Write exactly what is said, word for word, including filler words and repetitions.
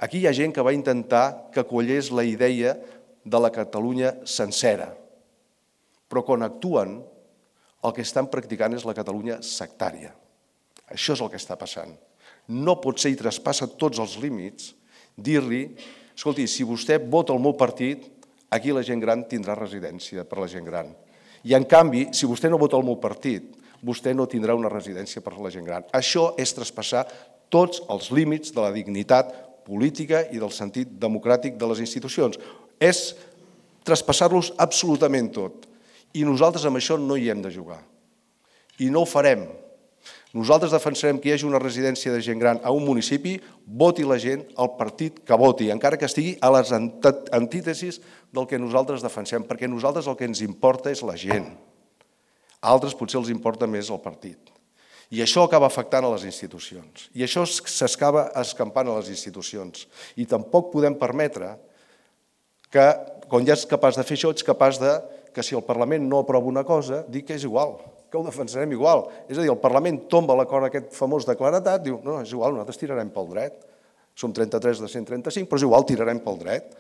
Aquí hi ha gent que va intentar que quallés la idea de la Catalunya sencera, però quan actuen el que estan practicant és la Catalunya sectària. Això és el que està passant. No pot ser, i traspassa tots els límits, dir-li, escolti, si vostè vota el meu partit, aquí la gent gran tindrà residència per la gent gran. I en canvi, si vostè no vota el meu partit, vostè no tindrà una residència per la gent gran. Això és traspassar tots els límits de la dignitat política i del sentit democràtic de les institucions. És traspassar-los absolutament tot. I nosaltres amb això no hi hem de jugar. I no ho farem. Nosaltres defensarem que hi hagi una residència de gent gran a un municipi, voti la gent el partit que voti, encara que estigui a les antítesis del que nosaltres defensem, perquè a nosaltres el que ens importa és la gent. A altres potser els importa més el partit. I això acaba afectant a les institucions. I això s'acaba escampant a les institucions. I tampoc podem permetre que, quan ja ets capaç de fer això, ets capaç de que si el Parlament no aprova una cosa, dir que és igual, que ho defensarem igual. És a dir, el Parlament tomba l'acord aquest famós de claredat, diu, no, és igual, nosaltres tirarem pel dret. Som trenta-tres de cent trenta-cinc, però és igual, tirarem pel dret.